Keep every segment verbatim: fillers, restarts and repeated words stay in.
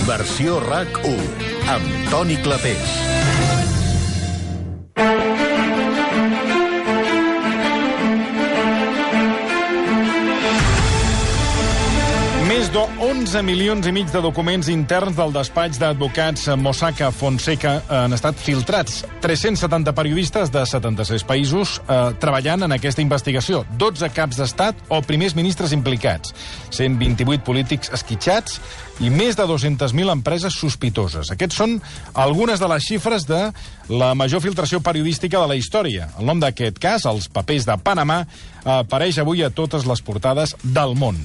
Versió RAC u, amb Toni Clapés. Més d'onze milions i mig de documents interns del despatx d'advocats Mossack Fonseca han estat filtrats. tres-cents setanta periodistes de setanta-sis països eh, treballant en aquesta investigació. dotze caps d'estat o primers ministres implicats. cent vint-i-vuit polítics esquitxats i més de dues-centes mil empreses sospitoses. Aquests són algunes de les xifres de la major filtració periodística de la història. El nom d'aquest cas, els papers de Panamà, apareix avui a totes les portades del món.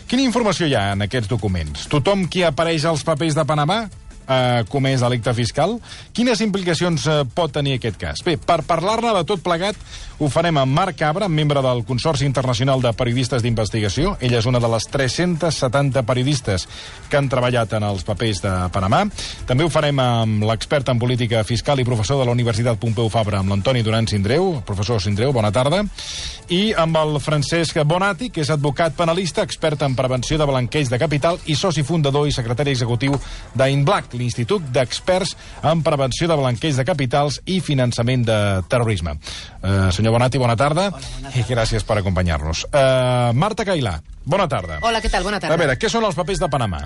Quina informació hi ha en aquests documents? Tothom qui apareix als papers de Panamà ha comès delicte fiscal? Quines implicacions eh, pot tenir aquest cas? Bé, per parlar-ne de tot plegat, ho farem amb Marc Cabra, membre del Consorci Internacional de Periodistes d'Investigació. Ella és una de les tres-cents setanta periodistes que han treballat en els papers de Panamà. També ho farem amb l'expert en política fiscal i professor de la Universitat Pompeu Fabra, amb l'Antoni Duran Sindreu. Professor Sindreu, bona tarda. I amb el Francesc Bonati, que és advocat penalista, expert en prevenció de blanqueig de capital i soci fundador i secretari executiu d'Inblack, l'Institut d'Experts en Prevenció de Blanqueig de Capitals i Finançament de Terrorisme. Uh, senyor Bonati, bona tarda. Hola, bona tarda. I gràcies per acompanyar-nos. Uh, Marta Cailà, bona tarda. Hola, què tal? Bona tarda. A veure, què són els papers de Panamà?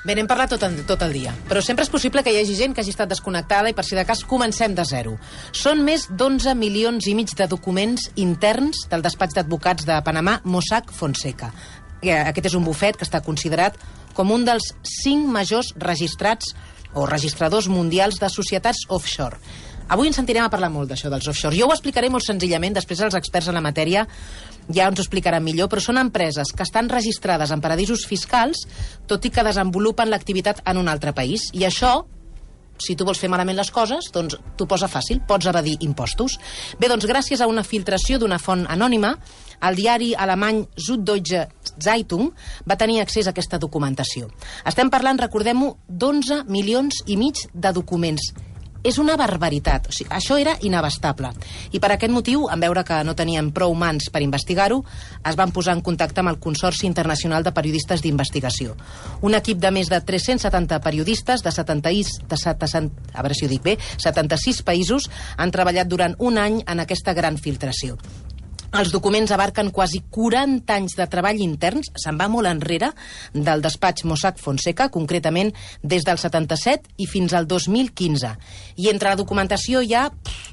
Bé, n'hem parlat tot, tot el dia, però sempre és possible que hi hagi gent que hagi estat desconnectada i, per si de cas, comencem de zero. Són més d'onze milions i mig de documents interns del despatx d'advocats de Panamà, Mossack Fonseca. Aquest és un bufet que està considerat com un dels cinc majors registrats o registradors mundials de societats offshore. Avui ens sentirem a parlar molt d'això, dels offshore. Jo ho explicaré molt senzillament, després els experts en la matèria ja ens ho explicaran millor, però són empreses que estan registrades en paradisos fiscals, tot i que desenvolupen l'activitat en un altre país. I això, si tu vols fer malament les coses, doncs t'ho posa fàcil, pots evadir impostos. Bé, doncs gràcies a una filtració d'una font anònima, el diari alemany Süddeutsche Zeitung va tenir accés a aquesta documentació. Estem parlant, recordem-ho, d'onze milions i mig de documents. És una barbaritat. O sigui, això era inabastable. I per aquest motiu, en veure que no tenien prou mans per investigar-ho, es van posar en contacte amb el Consorci Internacional de Periodistes d'Investigació. Un equip de més de tres-cents setanta periodistes de, setanta, de setanta, a veure si ho dic bé, setanta-sis països han treballat durant un any en aquesta gran filtració. Els documents abarquen quasi quaranta anys de treball interns, se'n va molt enrere, del despatx Mossack Fonseca, concretament des del setanta-set i fins al dos mil quinze. I entre la documentació hi ha,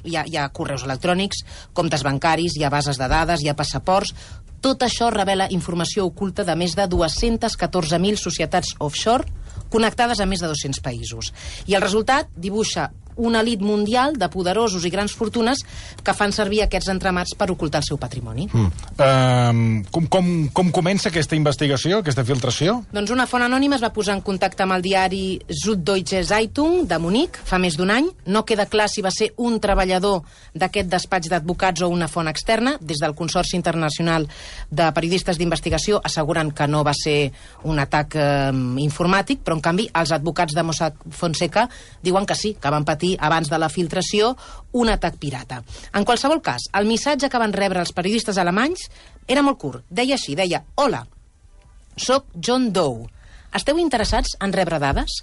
hi ha, hi ha correus electrònics, comptes bancaris, hi ha bases de dades, hi ha passaports. Tot això revela informació oculta de més de dues-centes catorze mil societats offshore connectades a més de dos-cents països. I el resultat dibuixa una elit mundial de poderosos i grans fortunes que fan servir aquests entramats per ocultar el seu patrimoni. Mm. Uh, com, com, com comença aquesta investigació, aquesta filtració? Doncs una font anònima es va posar en contacte amb el diari Süddeutsche Zeitung de Munic fa més d'un any. No queda clar si va ser un treballador d'aquest despatx d'advocats o una font externa. Des del Consorci Internacional de Periodistes d'Investigació asseguren que no va ser un atac eh, informàtic, però en canvi els advocats de Mossack Fonseca diuen que sí, que van patir abans de la filtració un atac pirata. En qualsevol cas, el missatge que van rebre els periodistes alemanys era molt curt. Deia així, deia: hola, soc John Doe. Esteu interessats en rebre dades?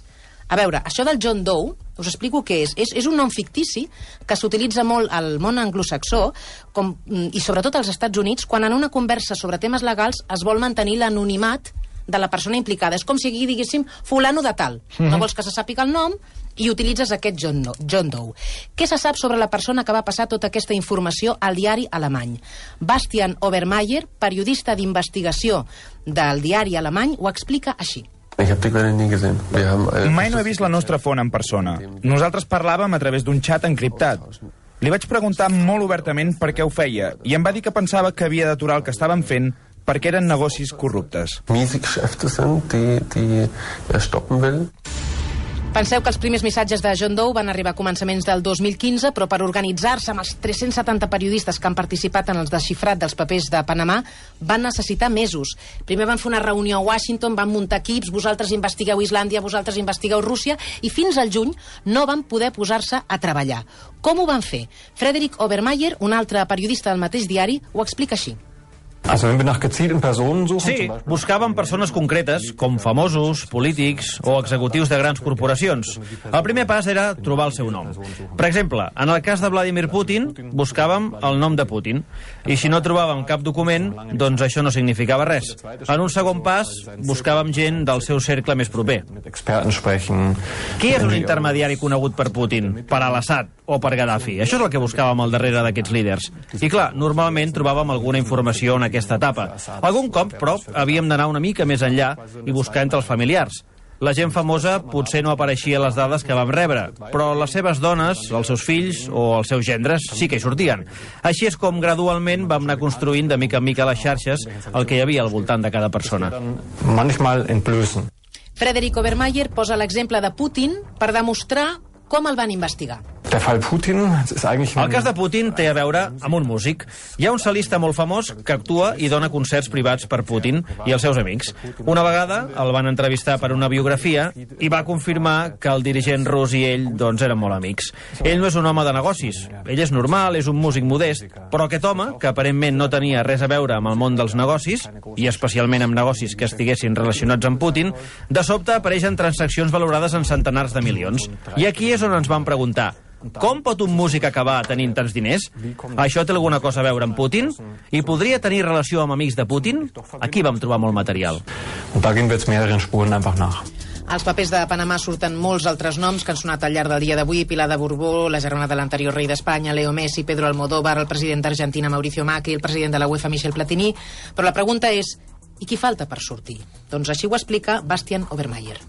A veure, això del John Doe, us explico què és. És, és un nom fictici que s'utilitza molt al món anglosaxó com, i sobretot als Estats Units quan en una conversa sobre temes legals es vol mantenir l'anonimat de la persona implicada. És com si aquí diguéssim fulano de tal. Mm-hmm. No vols que se sàpiga el nom i utilitzes aquest John, no, John Doe. Què se sap sobre la persona que va passar tota aquesta informació al diari alemany? Bastian Obermeier, periodista d'investigació del diari alemany, ho explica així. Mai no he vist la nostra font en persona. Nosaltres parlàvem a través d'un xat encriptat. Li vaig preguntar molt obertament per què ho feia i em va dir que pensava que havia d'aturar el que estàvem fent perquè eren negocis corruptes. Penseu que els primers missatges de John Doe van arribar a començaments del dos mil quinze, però per organitzar-se amb els tres-cents setanta periodistes que han participat en el desxifrat dels papers de Panamà van necessitar mesos. Primer van fer una reunió a Washington, van muntar equips, vosaltres investigueu Islàndia, vosaltres investigueu Rússia, i fins al juny no van poder posar-se a treballar. Com ho van fer? Frederick Obermeier, un altre periodista del mateix diari, ho explica així. Sí, buscàvem persones concretes, com famosos, polítics o executius de grans corporacions. El primer pas era trobar el seu nom. Per exemple, en el cas de Vladimir Putin, buscàvem el nom de Putin. I si no trobàvem cap document, doncs això no significava res. En un segon pas, buscàvem gent del seu cercle més proper. Qui és un intermediari conegut per Putin, per al-Assad o per Gaddafi? Això és el que buscàvem al darrere d'aquests líders. I clar, normalment trobàvem alguna informació en aquesta etapa. Algun cop, però, havíem d'anar una mica més enllà i buscar entre els familiars. La gent famosa potser no apareixia a les dades que vam rebre, però les seves dones, els seus fills o els seus gendres sí que hi sortien. Així és com gradualment vam anar construint de mica en mica les xarxes el que hi havia al voltant de cada persona. Frederic Obermeier posa l'exemple de Putin per demostrar com el van investigar. El cas de Putin té a veure amb un músic. Hi ha un cel·lista molt famós que actua i dona concerts privats per Putin i els seus amics. Una vegada el van entrevistar per una biografia i va confirmar que el dirigent rus i ell doncs, eren molt amics. Ell no és un home de negocis. Ell és normal, és un músic modest, però aquest home, que aparentment no tenia res a veure amb el món dels negocis, i especialment amb negocis que estiguessin relacionats amb Putin, de sobte apareixen transaccions valorades en centenars de milions. I aquí és on ens vam preguntar: com pot un músic acabar tenint tants diners? Això té alguna cosa a veure amb Putin? I podria tenir relació amb amics de Putin? Aquí vam trobar molt material. Als papers de Panamà surten molts altres noms que han sonat al llarg del dia d'avui: Pilar de Borbó, la germana de l'anterior rei d'Espanya, Leo Messi, Pedro Almodóvar, el president d'Argentina, Mauricio Macri, el president de la UEFA, Michel Platini. Però la pregunta és: i qui falta per sortir? Doncs així ho explica Bastian Obermeier.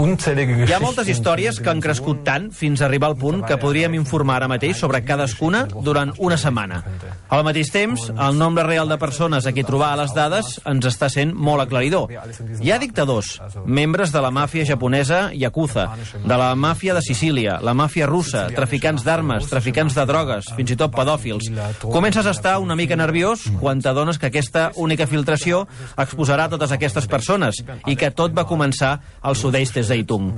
Hi ha moltes històries que han crescut tant fins a arribar al punt que podríem informar ara mateix sobre cadascuna durant una setmana. Al mateix temps, el nombre real de persones a qui trobar a les dades ens està sent molt aclaridor. Hi ha dictadors, membres de la màfia japonesa Yakuza, de la màfia de Sicília, la màfia russa, traficants d'armes, traficants de drogues, fins i tot pedòfils. Comences a estar una mica nerviós quan t'adones que aquesta única filtració exposarà totes aquestes persones i que tot va començar al Süddeutsche Zeitung.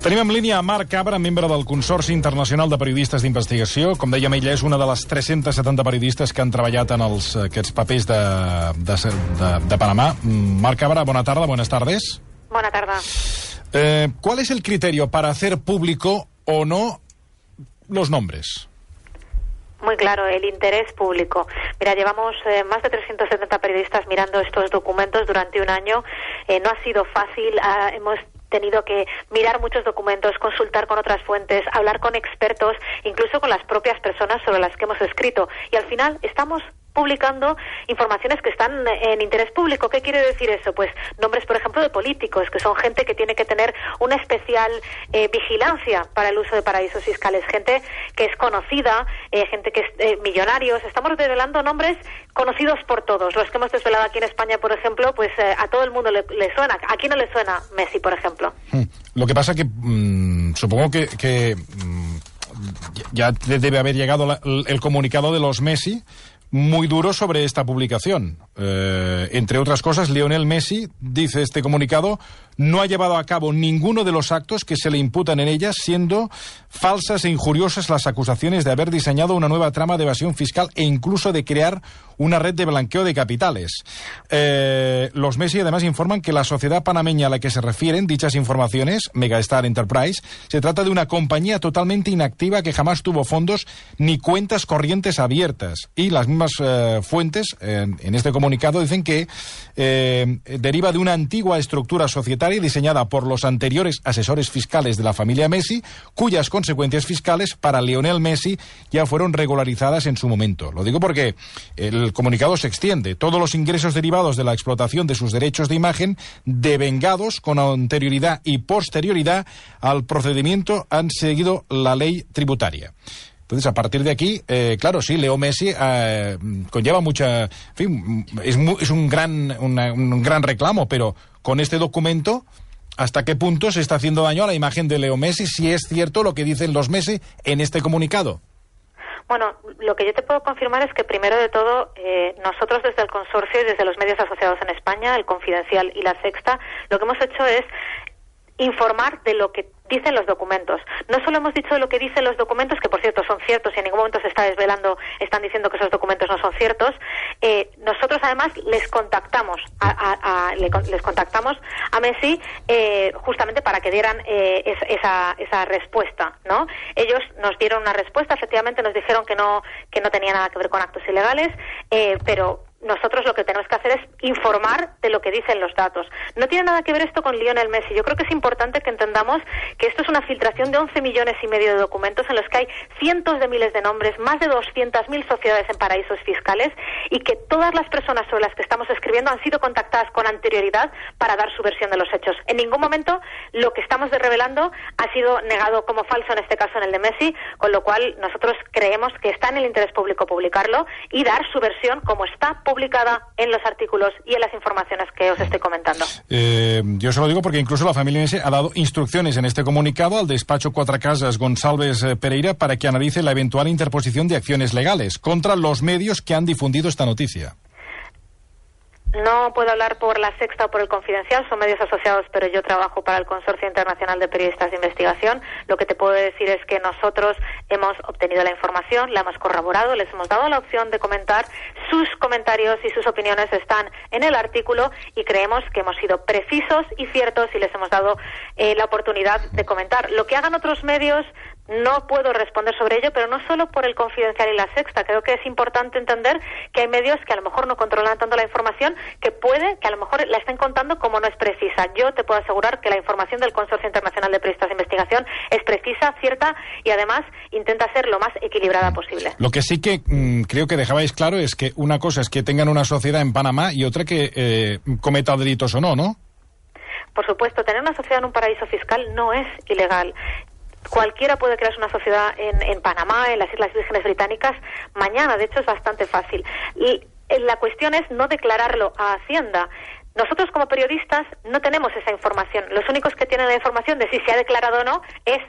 Tenim en línia a Marc Cabra, membre del Consorci Internacional de Periodistes d'Investigació. Com dèiem, ella és una de les tres-centes setanta periodistes que han treballat en els, aquests papers de, de, de, de Panamá. Marc Cabra, bona tarda, buenas tardes. Buena tarde. Eh, ¿Cuál es el criterio para hacer público o no los nombres? Muy claro, el interés público. Mira, llevamos eh, más de trescientos setenta periodistas mirando estos documentos durante un año. Eh, no ha sido fácil, ah, hemos tenido que mirar muchos documentos, consultar con otras fuentes, hablar con expertos, incluso con las propias personas sobre las que hemos escrito. Y al final estamos publicando informaciones que están en interés público. ¿Qué quiere decir eso? Pues nombres, por ejemplo, de políticos, que son gente que tiene que tener una especial eh, vigilancia para el uso de paraísos fiscales, gente que es conocida, eh, gente que es eh, millonarios. Estamos desvelando nombres conocidos por todos. Los que hemos desvelado aquí en España, por ejemplo, pues eh, a todo el mundo le, le suena. ¿A quién no le suena Messi, por ejemplo? Lo que pasa que mmm, supongo que, que mmm, ya debe haber llegado la, el comunicado de los Messi muy duro sobre esta publicación. Eh, entre otras cosas, Lionel Messi, dice este comunicado, no ha llevado a cabo ninguno de los actos que se le imputan en ellas, siendo falsas e injuriosas las acusaciones de haber diseñado una nueva trama de evasión fiscal e incluso de crear una red de blanqueo de capitales. Eh, los Messi además informan que la sociedad panameña a la que se refieren dichas informaciones, Megastar Enterprise, se trata de una compañía totalmente inactiva que jamás tuvo fondos ni cuentas corrientes abiertas. Y las mismas eh, fuentes eh, en este comunicado dicen que eh, deriva de una antigua estructura societaria diseñada por los anteriores asesores fiscales de la familia Messi, cuyas consecuencias fiscales para Lionel Messi ya fueron regularizadas en su momento. Lo digo porque el comunicado se extiende. Todos los ingresos derivados de la explotación de sus derechos de imagen, devengados con anterioridad y posterioridad al procedimiento, han seguido la ley tributaria. Entonces, a partir de aquí, eh, claro, sí, Leo Messi eh, conlleva mucha... En fin, es, mu, es un, gran, una, un gran reclamo, pero con este documento, ¿hasta qué punto se está haciendo daño a la imagen de Leo Messi, si es cierto lo que dicen los Messi en este comunicado? Bueno, lo que yo te puedo confirmar es que, primero de todo, eh, nosotros desde el consorcio y desde los medios asociados en España, el Confidencial y La Sexta, lo que hemos hecho es informar de lo que dicen los documentos. No solo hemos dicho lo que dicen los documentos, que por cierto son ciertos y en ningún momento se está desvelando, están diciendo que esos documentos no son ciertos. Eh, nosotros además les contactamos a, a, a, les contactamos a Messi eh, justamente para que dieran eh, es, esa, esa respuesta, ¿no? Ellos nos dieron una respuesta, efectivamente nos dijeron que no, que no tenía nada que ver con actos ilegales, eh, pero nosotros lo que tenemos que hacer es informar de lo que dicen los datos. No tiene nada que ver esto con Lionel Messi. Yo creo que es importante que entendamos que esto es una filtración de once millones y medio de documentos en los que hay cientos de miles de nombres, más de doscientas mil sociedades en paraísos fiscales, y que todas las personas sobre las que estamos escribiendo han sido contactadas con anterioridad para dar su versión de los hechos. En ningún momento lo que estamos revelando ha sido negado como falso, en este caso en el de Messi, con lo cual nosotros creemos que está en el interés público publicarlo y dar su versión como está publicada en los artículos y en las informaciones que os estoy comentando. Eh, yo se lo digo porque incluso la familia Messi ha dado instrucciones en este comunicado al despacho Cuatro Casas González Pereira para que analice la eventual interposición de acciones legales contra los medios que han difundido esta noticia. No puedo hablar por La Sexta o por El Confidencial, son medios asociados, pero yo trabajo para el Consorcio Internacional de Periodistas de Investigación. Lo que te puedo decir es que nosotros hemos obtenido la información, la hemos corroborado, les hemos dado la opción de comentar. Sus comentarios y sus opiniones están en el artículo y creemos que hemos sido precisos y ciertos y les hemos dado eh, la oportunidad de comentar. Lo que hagan otros medios no puedo responder sobre ello, pero no solo por El Confidencial y La Sexta. Creo que es importante entender que hay medios que a lo mejor no controlan tanto la información, que puede que a lo mejor la estén contando como no es precisa. Yo te puedo asegurar que la información del Consorcio Internacional de Periodistas de Investigación es precisa, cierta y además intenta ser lo más equilibrada posible. Lo que sí que mmm, creo que dejabais claro es que una cosa es que tengan una sociedad en Panamá y otra que eh, cometa delitos o no, ¿no? Por supuesto, tener una sociedad en un paraíso fiscal no es ilegal. Cualquiera puede crear una sociedad en, en Panamá, en las Islas Vírgenes Británicas, mañana. De hecho, es bastante fácil. Y la cuestión es no declararlo a Hacienda. Nosotros, como periodistas, no tenemos esa información. Los únicos que tienen la información de si se ha declarado o no es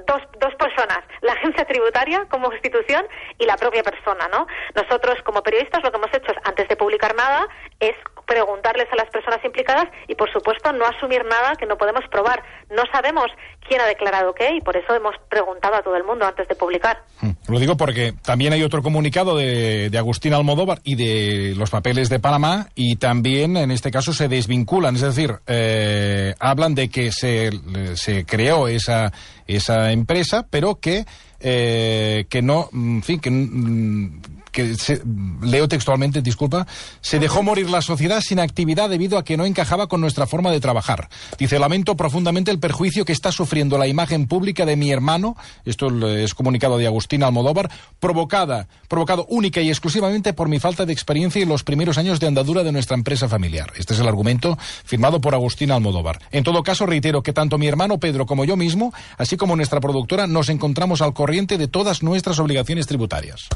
dos, dos personas, la agencia tributaria como institución y la propia persona, ¿no? Nosotros, como periodistas, lo que hemos hecho es, antes de publicar nada, es preguntarles a las personas implicadas y, por supuesto, no asumir nada que no podemos probar. No sabemos quién ha declarado qué y por eso hemos preguntado a todo el mundo antes de publicar. Lo digo porque también hay otro comunicado de, de Agustín Almodóvar y de los papeles de Panamá y también, en este caso, se desvinculan. Es decir, eh, hablan de que se, se creó esa, esa empresa, pero que, eh, que no, en fin, que... que se, leo textualmente, disculpa, se dejó morir la sociedad sin actividad debido a que no encajaba con nuestra forma de trabajar. Dice, lamento profundamente el perjuicio que está sufriendo la imagen pública de mi hermano, esto es comunicado de Agustín Almodóvar, provocada, provocado única y exclusivamente por mi falta de experiencia en los primeros años de andadura de nuestra empresa familiar. Este es el argumento firmado por Agustín Almodóvar. En todo caso, reitero que tanto mi hermano Pedro como yo mismo, así como nuestra productora, nos encontramos al corriente de todas nuestras obligaciones tributarias.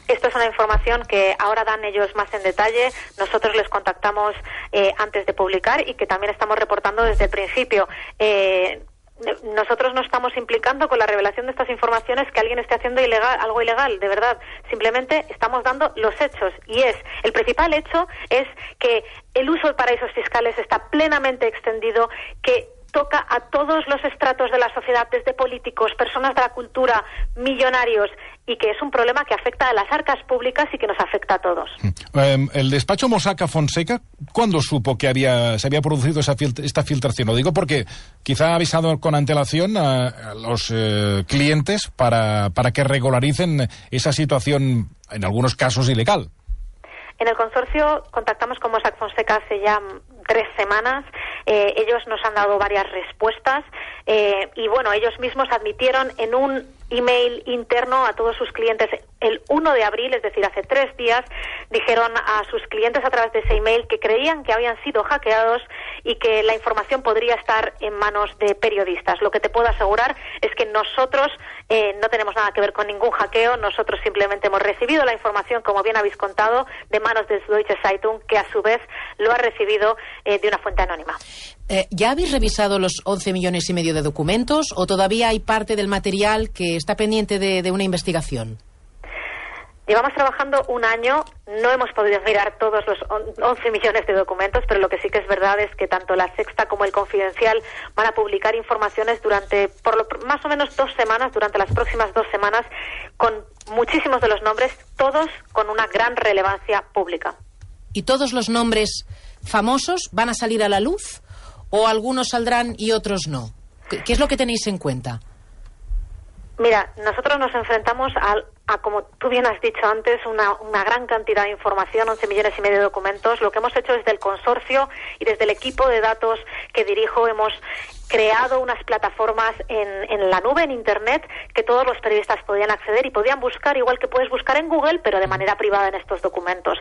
Esto es una información que ahora dan ellos más en detalle. Nosotros les contactamos eh, antes de publicar y que también estamos reportando desde el principio. Eh, nosotros no estamos implicando con la revelación de estas informaciones que alguien esté haciendo ilegal, algo ilegal, de verdad. Simplemente estamos dando los hechos y es, el principal hecho es que el uso de paraísos fiscales está plenamente extendido, que toca a todos los estratos de la sociedad, desde políticos, personas de la cultura, millonarios, y que es un problema que afecta a las arcas públicas y que nos afecta a todos. Eh, el despacho Mossack Fonseca, ¿cuándo supo que había se había producido esa fil esta filtración? Lo digo porque quizá ha avisado con antelación a, a los eh, clientes para, para que regularicen esa situación, en algunos casos, ilegal. En el consorcio contactamos con Mossack Fonseca hace ya tres semanas. Eh, ellos nos han dado varias respuestas eh, y, bueno, ellos mismos admitieron en un email interno a todos sus clientes el uno de abril, es decir, hace tres días, dijeron a sus clientes a través de ese email que creían que habían sido hackeados y que la información podría estar en manos de periodistas. Lo que te puedo asegurar es que nosotros eh, no tenemos nada que ver con ningún hackeo, nosotros simplemente hemos recibido la información, como bien habéis contado, de manos de Deutsche Zeitung, que a su vez lo ha recibido eh, de una fuente anónima. Eh, ¿Ya habéis revisado los once millones y medio de documentos o todavía hay parte del material que está pendiente de, de una investigación? Llevamos trabajando un año, no hemos podido mirar todos los once millones de documentos, pero lo que sí que es verdad es que tanto La Sexta como El Confidencial van a publicar informaciones durante, por lo, más o menos dos semanas, durante las próximas dos semanas, con muchísimos de los nombres, todos con una gran relevancia pública. ¿Y todos los nombres famosos van a salir a la luz? ¿O algunos saldrán y otros no? ¿Qué, qué es lo que tenéis en cuenta? Mira, nosotros nos enfrentamos a, a, como tú bien has dicho antes, una, una gran cantidad de información, once millones y medio de documentos. Lo que hemos hecho desde el consorcio y desde el equipo de datos que dirijo, hemos creado unas plataformas en, en la nube, en Internet, que todos los periodistas podían acceder y podían buscar, igual que puedes buscar en Google, pero de manera privada en estos documentos.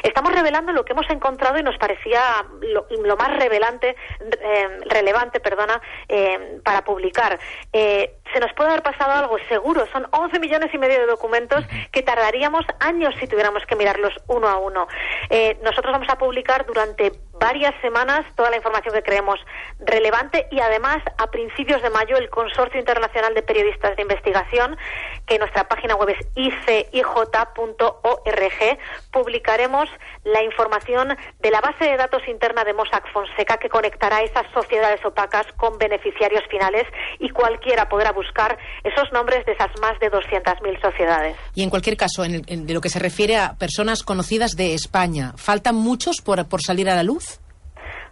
Estamos revelando lo que hemos encontrado y nos parecía lo, lo más revelante, eh, relevante, perdona, eh, para publicar. Eh, se nos puede haber pasado algo, seguro. Son once millones y medio de documentos que tardaríamos años si tuviéramos que mirarlos uno a uno. Eh, nosotros vamos a publicar durante varias semanas toda la información que creemos relevante y además a principios de mayo el Consorcio Internacional de Periodistas de Investigación, que en nuestra página web es i c i j punto org, publicaremos la información de la base de datos interna de Mossack Fonseca que conectará esas sociedades opacas con beneficiarios finales y cualquiera podrá buscar esos nombres de esas más de doscientas mil sociedades. Y en cualquier caso, en, el, en de lo que se refiere a personas conocidas de España, ¿faltan muchos por, por salir a la luz?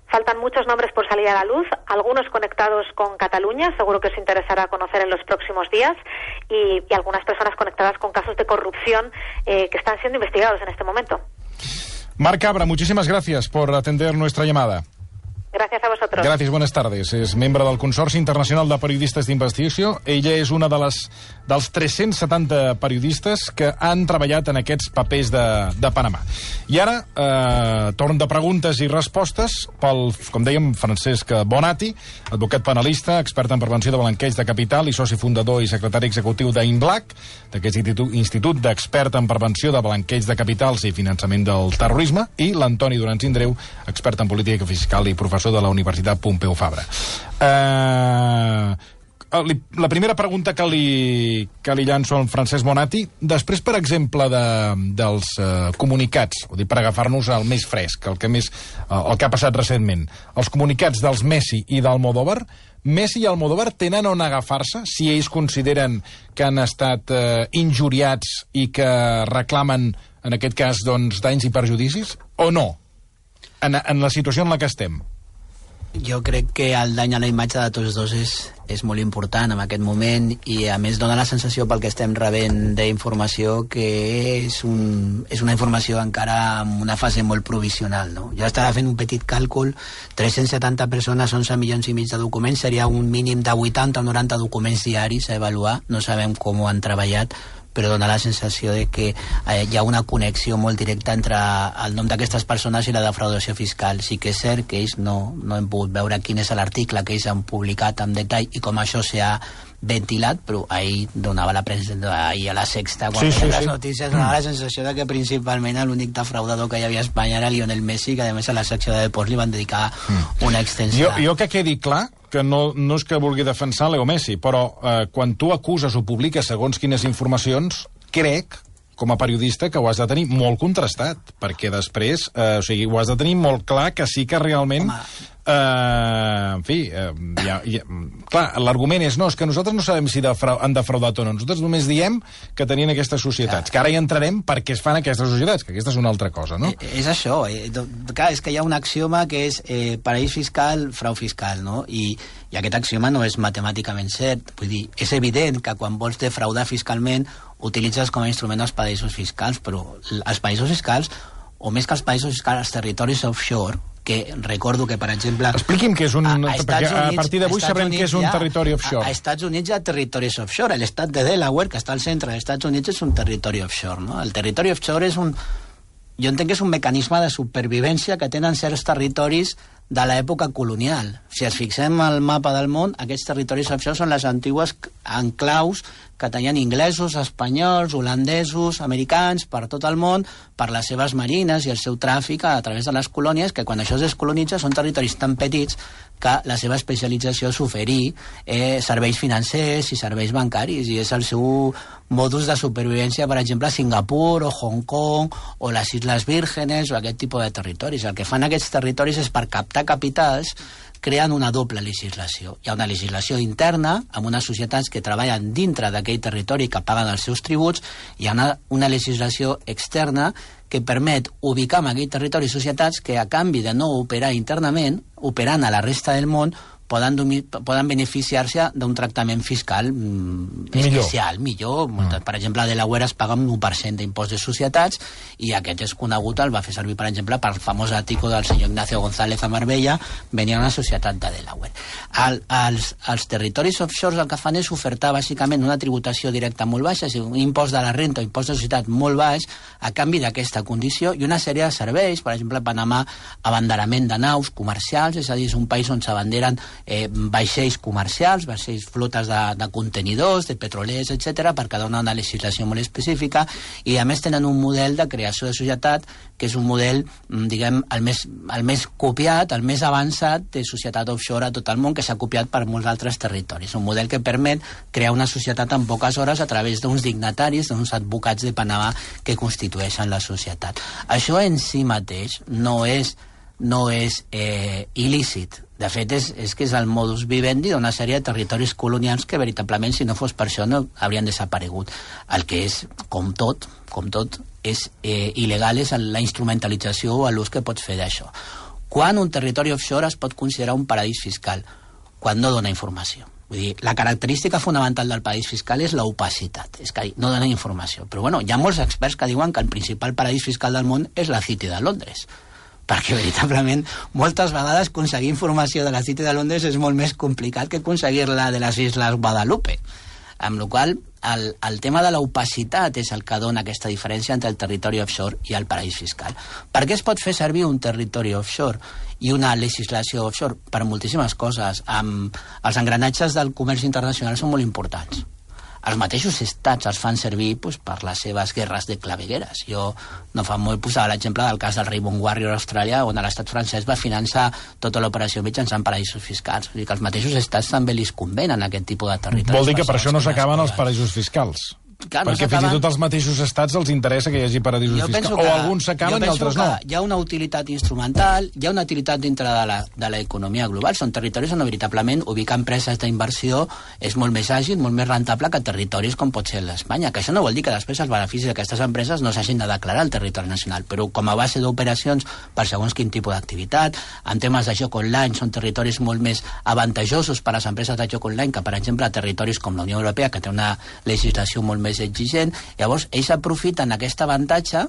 Faltan muchos nombres por salir a la luz, algunos conectados con Cataluña, seguro que os interesará conocer en los próximos días, y, y algunas personas conectadas con casos de corrupción eh, que están siendo investigados en este momento. Marc Cabra, muchísimas gracias por atender nuestra llamada. Gràcies a vosaltres. Gràcies, bones tardes. És membre del Consorci Internacional de Periodistes d'Investigació. Ella és una de les, dels tres-cents setanta periodistes que han treballat en aquests papers de, de Panamà. I ara, eh, torn de preguntes i respostes pel, com dèiem, Francesc Bonatti, advocat penalista, expert en prevenció de blanqueig de capital i soci fundador i secretari executiu d'INBLAC, d'aquest institut, institut d'expert en prevenció de blanqueig de capitals i finançament del terrorisme, i l'Antoni Duran Sindreu, expert en política fiscal i professor de la Universitat Pompeu Fabra. Uh, la primera pregunta que li, que li llanço al Francesc Bonatti, després, per exemple, de, dels uh, comunicats, o dir, per agafar-nos el més fresc, el que, més, uh, el que ha passat recentment, els comunicats dels Messi i d'Almodóvar, Messi i Almodóvar tenen on agafar-se si ells consideren que han estat uh, injuriats i que reclamen, en aquest cas, doncs, danys i perjudicis, o no? En, en la situació en la que estem. Jo crec que el dany a la imatge de tots dos és, és molt important en aquest moment i a més dona la sensació pel que estem rebent d'informació que és, un, és una informació encara en una fase molt provisional, no? Jo estava fent un petit càlcul, tres-cents setanta persones, onze milions i mig de documents, seria un mínim de vuitanta o noranta documents diaris a avaluar, no sabem com ho han treballat, però dona la sensació de que eh, hi ha una connexió molt directa entre el nom d'aquestes persones i la defraudació fiscal. Sí que és cert que ells no, no hem pogut veure quin és l'article que ells han publicat en detall i com això s'ha ventilat, però ahir donava la premsa, ahir a la Sexta, quan sí, sí, les sí. notícies, donava la sensació de que principalment l'únic defraudador que hi havia a Espanya era Lionel Messi, que a més a la secció de deports li van dedicar una extensa... Jo, jo que quedi clar que no, no és que vulgui defensar Leo Messi, però eh, quan tu acuses o publiques segons quines informacions, crec, com a periodista, que ho has de tenir molt contrastat, perquè després, eh, o sigui, ho has de tenir molt clar que sí que realment... Home. Uh, en fi, uh, ja, ja, clar, l'argument és no, és que nosaltres no sabem si defra han defraudat o no, nosaltres només diem que tenien aquestes societats, que ara hi entrarem per què es fan aquestes societats, que aquesta és una altra cosa, no? Eh, és això, eh, clar, és que hi ha un axioma que és eh, paraís fiscal, frau fiscal, no? I, i aquest axioma no és matemàticament cert, vull dir, és evident que quan vols defraudar fiscalment utilitzes com a instrument els paraïsos fiscals, però els paraïsos fiscals, o més que els paraïsos fiscals, els territoris offshore, que recordo que, per exemple... Expliqui'm què és un... A, a, perquè a partir d'avui sabrem què és un ha, territori offshore. A, a Estats Units hi ha territoris offshore. L'estat de Delaware, que està al centre dels Estats Units, és un territori offshore, no? El territori offshore és un... Jo entenc que és un mecanisme de supervivència que tenen certs territoris de l'època colonial. Si ens fixem al mapa del món, aquests territoris offshore són les antigues enclaus que tenien inglesos, espanyols, holandesos, americans, per tot el món, per les seves marines i el seu tràfic a través de les colònies, que quan això es descolonitza són territoris tan petits que la seva especialització és oferir eh, serveis financers i serveis bancaris, i és el seu modus de supervivència, per exemple, a Singapur o Hong Kong o les Isles Vírgenes o aquest tipus de territoris. El que fan aquests territoris és, per captar capitals, creen una doble legislació. Hi ha una legislació interna, amb unes societats que treballen dintre d'aquell territori, que paguen els seus tributs, i hi ha una, una legislació externa que permet ubicar en aquell territori societats que, a canvi de no operar internament, operant a la resta del món, poden, poden beneficiar-se d'un tractament fiscal mm, especial, millor. millor. Mm. Per exemple, a Delaware es paga un u per cent d'impost de societats, i aquest és conegut, el va fer servir, per exemple, per el famós article del senyor Ignacio González a Marbella, venia una societat de Delaware. El, els, els territoris offshore el que fan és ofertar, bàsicament, una tributació directa molt baixa, un impost de la renta o impost de societat molt baix, a canvi d'aquesta condició, i una sèrie de serveis. Per exemple, a Panamà, abanderament de naus comercials, és a dir, és un país on s'abanderen Eh, vaixells comercials, vaixells flotes de, de contenidors, de petrolers, etcètera, perquè dona una legislació molt específica, i a més tenen un model de creació de societat que és un model, diguem, el més, el més copiat, el més avançat de societat offshore a tot el món, que s'ha copiat per molts altres territoris. Un model que permet crear una societat en poques hores a través d'uns dignataris, d'uns advocats de Panamà que constitueixen la societat. Això en si mateix no és no és eh, il·lícit. De fet, és, és que és el modus vivendi d'una sèrie de territoris colonials que, veritablement, si no fos per això, no haurien desaparegut. El que és, com tot, com tot, és eh, il·legal és la instrumentalització o l'ús que pots fer d'això. Quan un territori offshore es pot considerar un paradís fiscal? Quan no dona informació. Vull dir, la característica fonamental del paradís fiscal és l'opacitat, és que no dona informació. Però, bueno, hi ha molts experts que diuen que el principal paradís fiscal del món és la City de Londres, perquè veritablement moltes vegades aconseguir informació de la City de Londres és molt més complicat que aconseguir-la de les Isles Guadalupe, amb la qual cosa el, el tema de l'opacitat és el que dona aquesta diferència entre el territori offshore i el paradís fiscal. Per què es pot fer servir un territori offshore i una legislació offshore? Per moltíssimes coses. Amb els engranatges del comerç internacional són molt importants. Els mateixos estats els fan servir pues, per les seves guerres de clavegueres. Jo no fa molt posava l'exemple del cas del Rainbow Warrior Austràlia, on l'estat francès va finançar tota l'operació mitjançant paradisos fiscals. Vull dir que els mateixos estats també li convenen aquest tipus de territoris. Vol dir que per això no s'acaben els paradisos fiscals? Clar, perquè no fins i tot als mateixos estats els interessa que hi hagi paradisos fiscals. O alguns s'acaben i altres no. Hi ha una utilitat instrumental, hi ha una utilitat dintre de l'economia global. Són territoris on, veritablement, ubicar empreses d'inversió és molt més àgil, molt més rentable que territoris com pot ser l'Espanya. Que això no vol dir que després els beneficis d'aquestes empreses no s'hagin de declarar al territori nacional, però com a base d'operacions per segons quin tipus d'activitat, en temes de joc online, són territoris molt més avantajosos per a les empreses de joc online que, per exemple, territoris com la Unió Europea, que té una legislació molt més exigent. Llavors, ells aprofiten aquest avantatge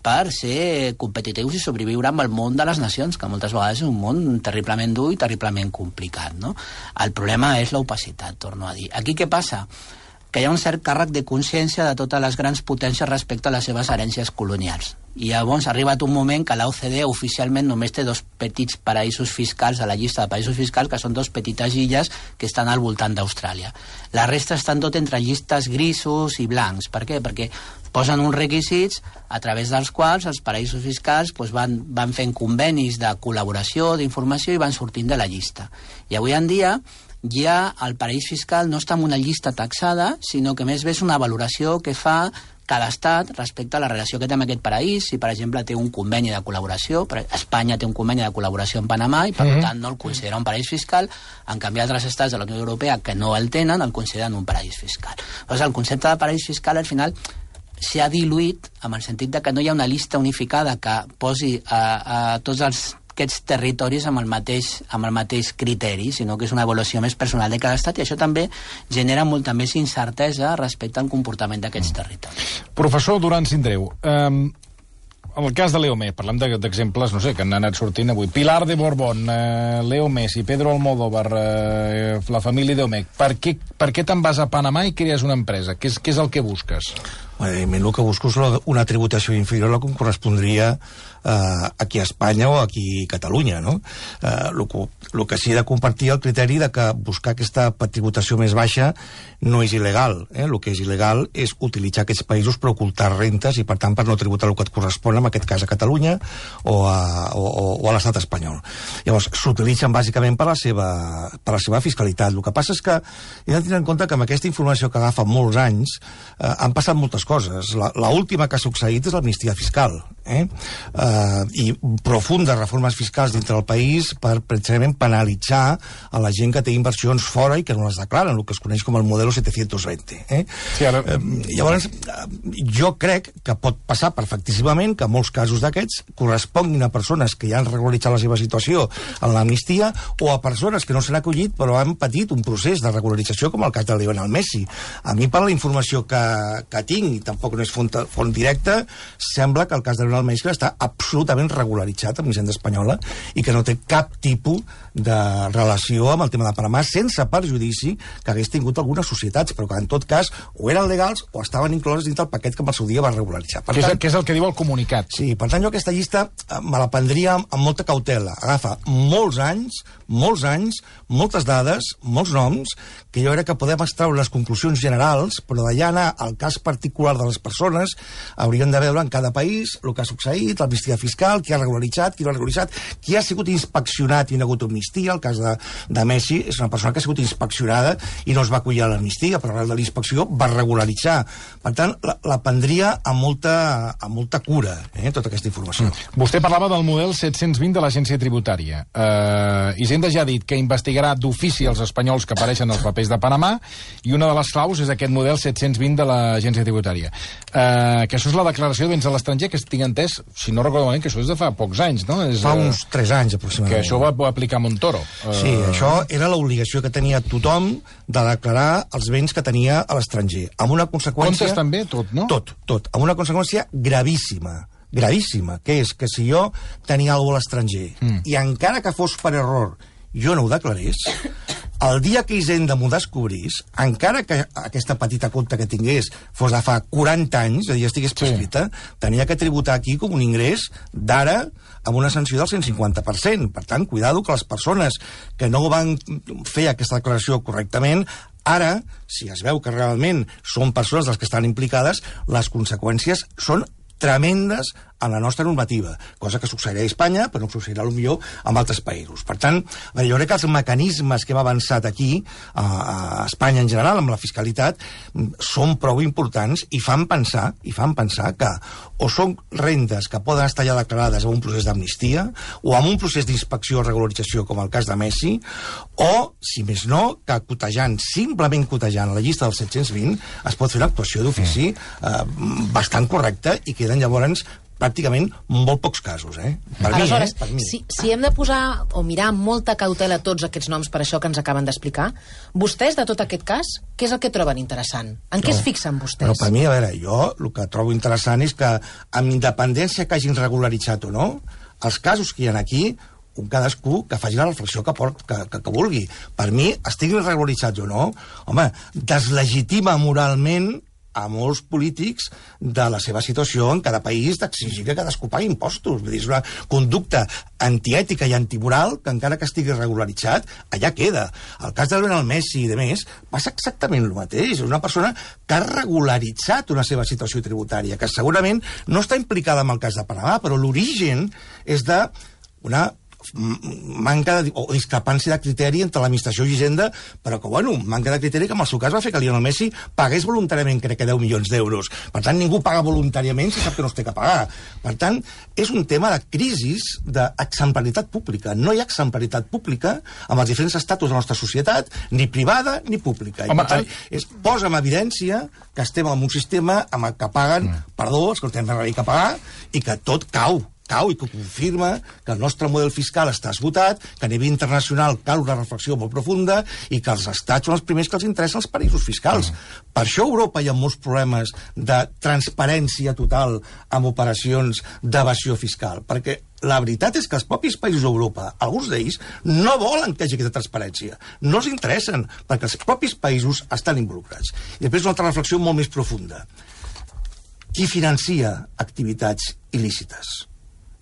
per ser competitius i sobreviure amb el món de les nacions, que moltes vegades és un món terriblement dur i terriblement complicat, no? El problema és l'opacitat, torno a dir. Aquí què passa? Que hi ha un cert càrrec de consciència de totes les grans potències respecte a les seves herències colonials. I llavors ha arribat un moment que l'O C D E oficialment només té dos petits paradisos fiscals a la llista de paradisos fiscals, que són dos petites illes que estan al voltant d'Austràlia. La resta estan tot entre llistes grisos i blancs. Per què? Perquè posen uns requisits a través dels quals els paradisos fiscals doncs, van, van fent convenis de col·laboració, d'informació, i van sortint de la llista. I avui en dia ja el paradís fiscal no està en una llista taxada, sinó que més bé és una valoració que fa cada estat respecte a la relació que té amb aquest paradís. Si, per exemple, té un conveni de col·laboració, Espanya té un conveni de col·laboració amb Panamà i, per mm-hmm. tant, no el considera un paradís fiscal. En canvi, altres estats de la Unió Europea que no el tenen, el consideren un paradís fiscal. Llavors, el concepte de paradís fiscal, al final, s'ha diluït amb el sentit de que no hi ha una llista unificada que posi a, a tots els aquests territoris amb el, mateix, amb el mateix criteri, sinó que és una avaluació més personal de cada estat, i això també genera molta més incertesa respecte al comportament d'aquests territoris. Professor Duran Sindreu, eh, en el cas de Leo Messi, parlem d'exemples, no sé, que han anat sortint avui. Pilar de Borbón, eh, Leo Messi, Pedro Almodóvar, eh, la família Domecq. Per què, per què te'n vas a Panamà i crees una empresa? Què és, què és el que busques? Evidentment, el que busco és una tributació inferior a la que correspondria eh, aquí a Espanya o aquí a Catalunya, no? Eh, el, que, el que sí he de compartir el criteri de que buscar aquesta tributació més baixa no és il·legal. Eh? El que és il·legal és utilitzar aquests països per ocultar rentes i, per tant, per no tributar el que et correspon, en aquest cas a Catalunya o a, o, o a l'estat espanyol. Llavors, s'utilitzen bàsicament per la, seva, per la seva fiscalitat. El que passa és que he de tenir en compte que amb aquesta informació que agafa molts anys eh, han passat moltes coses. La, la última que ha succeït és l'amnistia fiscal, eh? Eh, i profundes reformes fiscals dintre del país per precisament penalitzar a la gent que té inversions fora i que no les declaren, el que es coneix com el modelo setecientos veinte. Eh? Sí, ara... eh, llavors, jo crec que pot passar perfectíssimament que molts casos d'aquests corresponguin a persones que ja han regularitzat la seva situació en l'amnistia o a persones que no s'han acollit però han patit un procés de regularització, com el cas de Lionel Messi. A mi, per la informació que, que tinc, i tampoc no és font, font directa, sembla que el cas de Lionel Messi està absolutament regularitzat amb l'Hisenda espanyola i que no té cap tipus de relació amb el tema de Panamà, sense perjudici que hagués tingut algunes societats, però que en tot cas o eren legals o estaven incloses dins del paquet que en el seu dia va regularitzar. Per tant, què és el que diu el comunicat? Sí, per tant, jo aquesta llista me la prendria amb molta cautela. Agafa molts anys, molts anys, moltes dades, molts noms, que jo crec que podem extraure les conclusions generals, però d'allà anar al cas particular de les persones hauríem de veure en cada país el que ha succeït, l'amnistia fiscal, qui ha regularitzat, qui no ha regularitzat, qui ha sigut inspeccionat i no ha hagut amnistia. El cas de, de Messi és una persona que ha sigut inspeccionada i no es va acollir a l'amnistia, però arrel de la inspecció va regularitzar. Per tant, la, la prendria amb molta, amb molta cura, eh, tota aquesta informació. Mm. Vostè parlava del model set-cents vint de l'agència tributària. Uh, Hisenda ja ha dit que investigarà d'ofici els espanyols que apareixen als papers de Panamà i una de les claus és aquest model set-cents vint de l'agència tributària. Uh, que això és la declaració de béns a l'estranger, que tinc entès, si no recordo malament, que això és de fa pocs anys, no? És, fa uns tres anys, aproximadament. Que això va, va aplicar Montoro. Sí, uh... això era l'obligació que tenia tothom de declarar els béns que tenia a l'estranger. Amb una conseqüència... Comptes també, tot, no? Tot, tot. Amb una conseqüència gravíssima. Gravíssima, que és que si jo tenia alguna cosa a l'estranger mm. i encara que fos per error jo no ho declarés, el dia que Hisenda m'ho descobrís, encara que aquesta petita compta que tingués fos de fa quaranta anys, és a dir, estigués prescrita, sí. tenia que tributar aquí com un ingrés d'ara amb una sanció del cent cinquanta per cent. Per tant, cuidado que les persones que no van fer aquesta declaració correctament, ara, si es veu que realment són persones les que estan implicades, les conseqüències són tremendes en la nostra normativa, cosa que succeirà a Espanya, però no succeirà potser en altres països. Per tant, jo crec que els mecanismes que hem avançat aquí, a, a Espanya en general, amb la fiscalitat, són prou importants i fan pensar, i fan pensar que o són rendes que poden estar ja declarades en un procés d'amnistia, o en un procés d'inspecció o regularització, com el cas de Messi, o, si més no, que cotejant, simplement cotejant a la llista dels set-cents vint, es pot fer una actuació d'ofici eh, bastant correcta i queden llavors pràcticament molt pocs casos, eh? Per Aleshores, mi, eh? Per mi. Si, si hem de posar o mirar amb molta cautela tots aquests noms per això que ens acaben d'explicar, vostès, de tot aquest cas, què és el que troben interessant? En què no, es fixen vostès? Però per mi, a veure, jo el que trobo interessant és que, amb independència que hagin regularitzat o no, els casos que hi ha aquí, un cadascú que faci la reflexió que, port, que, que, que vulgui. Per mi, estiguin regularitzats o no, home, deslegitima moralment a molts polítics de la seva situació en cada país d'exigir que cadascú pagui impostos. Vull dir, és una conducta antiètica i antimoral que encara que estigui regularitzat, allà queda. El cas de Lionel Messi i de més passa exactament el mateix. És una persona que ha regularitzat una seva situació tributària, que segurament no està implicada en el cas de Panamà, però l'origen és de una manca de, o discrepància de criteri entre l'administració i Hisenda, però que, bueno, manca de criteri que en el seu cas va fer que Lionel Messi pagués voluntàriament, crec que deu milions d'euros. Per tant, ningú paga voluntàriament si sap que no es té que pagar. Per tant, és un tema de crisi d'exemplaritat pública. No hi ha exemplaritat pública amb els diferents estatus de la nostra societat, ni privada ni pública. I Home, per tant, és, posa en evidència que estem en un sistema amb el que paguen, mm. perdó, els que no tenen res que pagar, i que tot cau. cau i que confirma que el nostre model fiscal està esgotat, que a nivell internacional cal una reflexió molt profunda i que els estats són els primers que els interessen els paradisos fiscals. Mm. Per això a Europa hi ha molts problemes de transparència total amb operacions d'evasió fiscal, perquè la veritat és que els propis països d'Europa, alguns d'ells, no volen que hi hagi aquesta transparència. No els interessen, perquè els propis països estan involucrats. I després una altra reflexió molt més profunda. qui financia activitats il·lícites.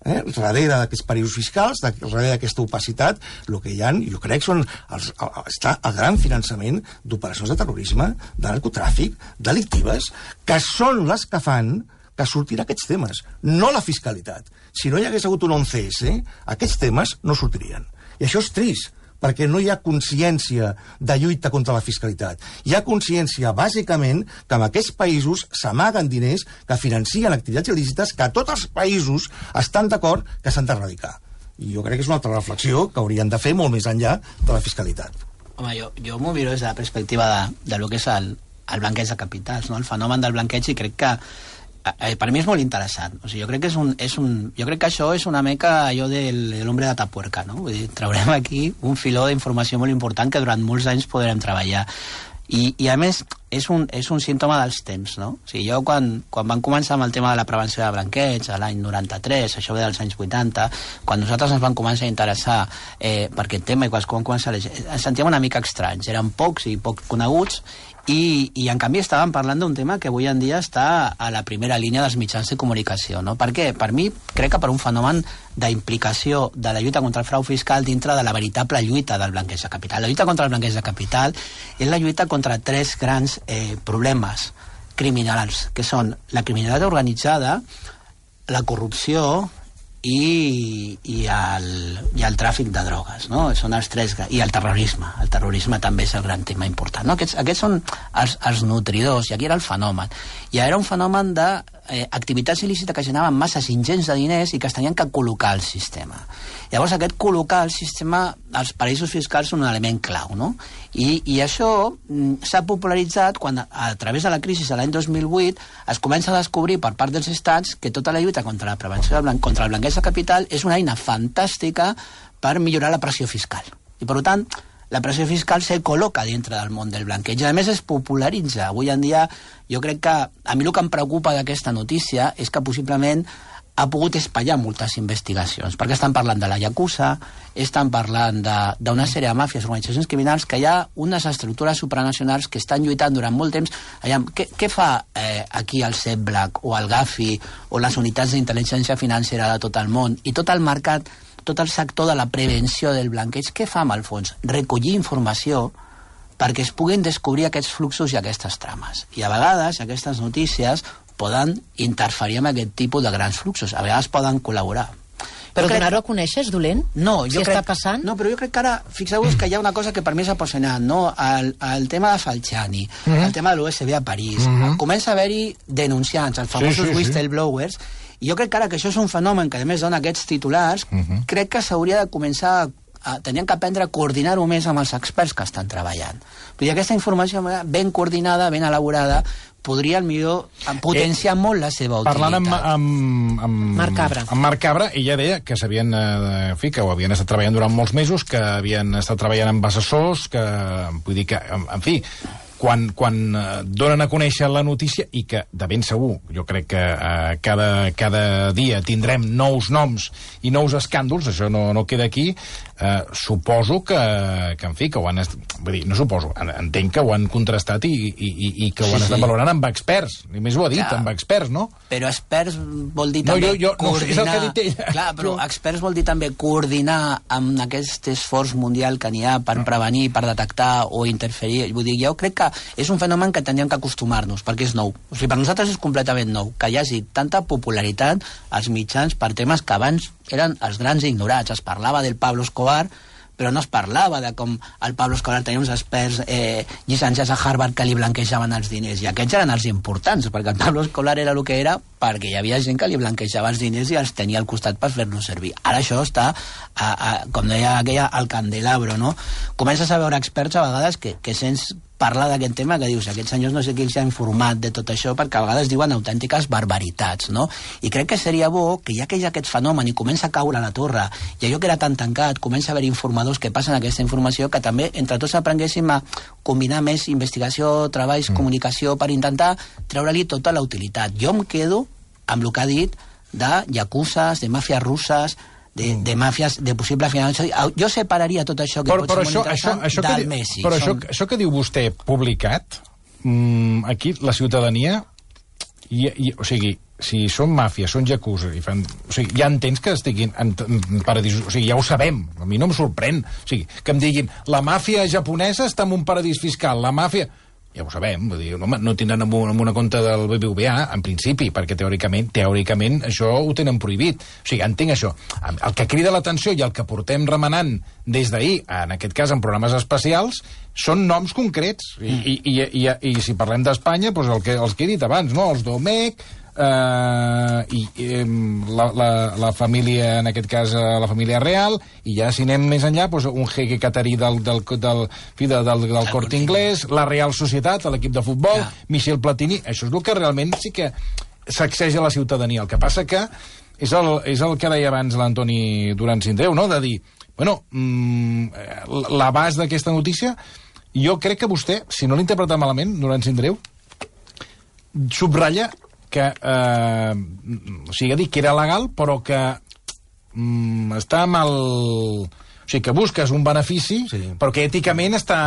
Eh? Darrere d'aquests paradisos fiscals, darrere d'aquesta opacitat, el que hi ha, jo crec, són els, està el gran finançament d'operacions de terrorisme, de narcotràfic, delictives, que són les que fan que sortirà aquests temes, no la fiscalitat. Si no hi hagués hagut un onze esse, aquests temes no sortirien. I això és trist, perquè no hi ha consciència de lluita contra la fiscalitat. Hi ha consciència, bàsicament, que en aquests països s'amaguen diners que financien activitats il·lícites que tots els països estan d'acord que s'han d'erradicar. I jo crec que és una altra reflexió que haurien de fer molt més enllà de la fiscalitat. Home, jo, jo m'ho miro des de la perspectiva de, de lo que és el, el blanqueig de capitals, no? El fenomen del blanqueig, i crec que Eh, per mi és molt interessant. O sigui, jo crec que és un, és un, jo crec que això és una mica allò del, de l'hombre de Tapuerca, no? Vull dir, traurem aquí un filó d'informació molt important que durant molts anys podrem treballar. I, i a més, és un, és un símptoma dels temps, no? O sigui, jo quan, quan vam començar amb el tema de la prevenció de blanqueig, a l'any noranta-tres, això ve dels anys vuitanta, quan nosaltres ens vam començar a interessar eh, per aquest tema, i quan vam començar a llegir, ens sentíem una mica estranys, eren pocs i poc coneguts, I, i en canvi estàvem parlant d'un tema que avui en dia està a la primera línia dels mitjans de comunicació, no? Per què? Per mi, crec que per un fenomen d'implicació de la lluita contra el frau fiscal dintre de la veritable lluita del blanqueig de capital. La lluita contra el blanqueig de capital és la lluita contra tres grans eh, problemes criminals, que són la criminalitat organitzada, la corrupció i, i, el, i el tràfic de drogues, no? Són els tres, i el terrorisme. El terrorisme també és el gran tema important, no? Aquests, aquests són els, els nutridors, i aquí era el fenomen. I era un fenomen de eh, activitats il·lícites que generaven masses ingents de diners i que es tenien que col·locar al sistema. Llavors, aquest col·locar al sistema, els paradisos fiscals són un element clau, no? I, i això s'ha popularitzat quan, a través de la crisi de l'any dos mil vuit, es comença a descobrir per part dels estats que tota la lluita contra la prevenció del blanc, contra el blanqueig de capital és una eina fantàstica per millorar la pressió fiscal. I, per tant, la pressió fiscal se col·loca dintre del món del blanqueig. A més, es popularitza. Avui en dia, jo crec que a mi el que em preocupa d'aquesta notícia és que possiblement ha pogut espaiar moltes investigacions, perquè estan parlant de la Yakuza, estan parlant d'una sèrie de màfies, organitzacions criminals, que hi ha unes estructures supranacionals que estan lluitant durant molt temps. Aviam, què, què fa eh, aquí el C E P Black o el Gafi o les unitats d'intel·ligència financera de tot el món i tot el mercat, tot el sector de la prevenció del blanqueig? Què fa amb el fons? Recollir informació perquè es puguin descobrir aquests fluxos i aquestes trames. I a vegades aquestes notícies poden interferir amb aquest tipus de grans fluxos. A vegades poden col·laborar. Però crec... donar-ho a conèixer és dolent? No, si jo crec... està passant? No, però jo crec que ara, fixeu-vos que hi ha una cosa que per mi és apassionant, no? El, el tema de Falciani, uh -huh. el tema de l'U S B a París, uh -huh. comença a haver-hi denunciants, els famosos sí, sí, whistleblowers, i jo crec que ara que això és un fenomen que a més dona aquests titulars, uh -huh. crec que s'hauria de començar a tenien que aprendre a coordinar-ho més amb els experts que estan treballant. Vull dir, aquesta informació ben coordinada, ben elaborada, podria, millor, potenciar eh, molt la seva utilitat. Parlant amb, amb, amb Marc Cabra. Amb Marc Cabra, ella deia que s'havien, eh, en fi, que ho havien estat treballant durant molts mesos, que havien estat treballant amb assessors, que, vull dir que, en, en fi, quan, quan eh, donen a conèixer la notícia, i que de ben segur, jo crec que eh, cada, cada dia tindrem nous noms i nous escàndols, això no, no queda aquí, eh, suposo que, que, en fi, que ho han... Vull dir, no suposo, entenc que ho han contrastat i, i, i, i que ho han sí, estat sí. valorant amb experts. I més ho ha dit, ja, amb experts, no? Però experts vol dir no, també jo, jo, coordinar... No, és el que ha dit ella. Clar, però jo... experts vol dir també coordinar amb aquest esforç mundial que n'hi ha per prevenir, per detectar o interferir. Vull dir, jo crec que és un fenomen que teníem que acostumar-nos, perquè és nou. O sigui, per nosaltres és completament nou, que hi hagi tanta popularitat als mitjans per temes que abans eren els grans ignorats. Es parlava del Pablo Escobar, però no es parlava de com el Pablo Escobar tenia uns experts eh, llicenciats a Harvard que li blanquejaven els diners, i aquests eren els importants, perquè el Pablo Escobar era el que era perquè hi havia gent que li blanquejava els diners i els tenia al costat per fer-los servir. Ara això està, a, a, com deia aquella, al candelabro, no? Comences a veure experts a vegades que, que sents parlar d'aquest tema, que dius, aquests senyors no sé qui els ha informat de tot això, perquè a vegades diuen autèntiques barbaritats, no? I crec que seria bo que ja que hi ha aquest fenomen i comença a caure a la torre, i allò que era tan tancat, comença a haver informadors que passen aquesta informació, que també entre tots aprenguéssim a combinar més investigació, treballs, mm. comunicació, per intentar treure-li tota la utilitat. Jo em quedo amb el que ha dit de yacuzas, de màfies russes, de, de màfies, de possible finançament. Jo separaria tot això que però, pot però ser molt això, interessant això, això del que, Messi. Però Som... això, això que diu vostè publicat, mmm, aquí la ciutadania I, i, o sigui, si són màfies, són yakuza, i fan, o sigui, ja entens que estiguin en, en paradís... O sigui, ja ho sabem, a mi no em sorprèn. O sigui, que em diguin, la màfia japonesa està en un paradís fiscal, la màfia... Ja ho sabem, vull dir, no, no tindran en una, en una compte del B B V A, en principi, perquè teòricament, teòricament això ho tenen prohibit. O sigui, entenc això. El que crida l'atenció i el que portem remenant des d'ahir, en aquest cas en programes especials, són noms concrets. I, i, i, i, i si parlem d'Espanya, doncs el que, els que he dit abans, no? Els Domecq, Uh, i um, la, la, la família, en aquest cas uh, la família real, i ja si anem més enllà, doncs, un jeque catarí del, del, del, del, del, del Corte Inglés, la Real Societat, l'equip de futbol, ja. Michel Platini. Això és el que realment sí que sacseja la ciutadania. El que passa que és el, és el que deia abans l'Antoni Duran Sindreu, no? De dir, bueno, mm, l'abast d'aquesta notícia, jo crec que vostè, si no l'interpreta malament, Duran Sindreu, subratlla que, eh, o sigui, ha dit que era legal, però que mm, està mal... O sigui, que busques un benefici, sí. Però que èticament està,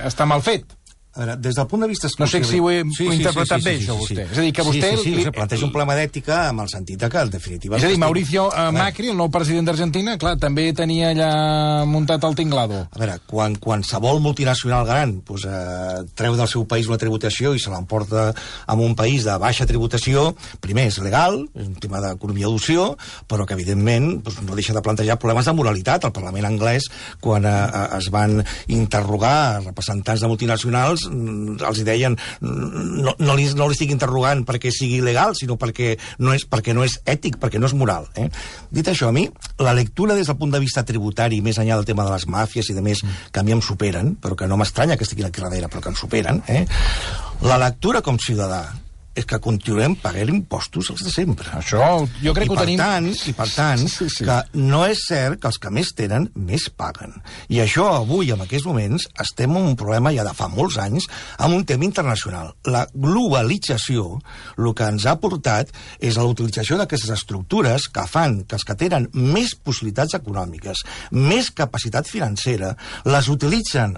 està mal fet. A veure, des del punt de vista... No sé si ho he sí, interpretat sí, sí, sí, bé, sí, això, vostè. Sí, sí. És a dir, que vostè... Sí, sí, sí, li... planteja un problema d'ètica amb el sentit que, en definitiva... És a dir, Mauricio uh, Macri, el nou president d'Argentina, clar, també tenia allà muntat el tinglado. A veure, quan qualsevol multinacional gran pues, eh, treu del seu país una tributació i se l'emporta a un país de baixa tributació, primer és legal, és un tema d'economia d'opció, però que, evidentment, pues, no deixa de plantejar problemes de moralitat. El Parlament anglès, quan eh, es van interrogar representants de multinacionals, els deien no, no, li, no li estic interrogant perquè sigui legal, sinó perquè no és, perquè no és ètic, perquè no és moral. Eh? Dit això, a mi, la lectura des del punt de vista tributari, més enllà del tema de les màfies i de més, que a mi em superen, però que no m'estranya que estiguin aquí darrere, però que em superen, eh? La lectura com ciutadà és que continuem pagant impostos els de sempre. Això jo crec I que ho tenim... Tant, I per tant, sí, sí. que no és cert que els que més tenen, més paguen. I això avui, en aquests moments, estem en un problema ja de fa molts anys amb un tema internacional. La globalització, el que ens ha portat és la utilització d'aquestes estructures que fan que els que tenen més possibilitats econòmiques, més capacitat financera, les utilitzen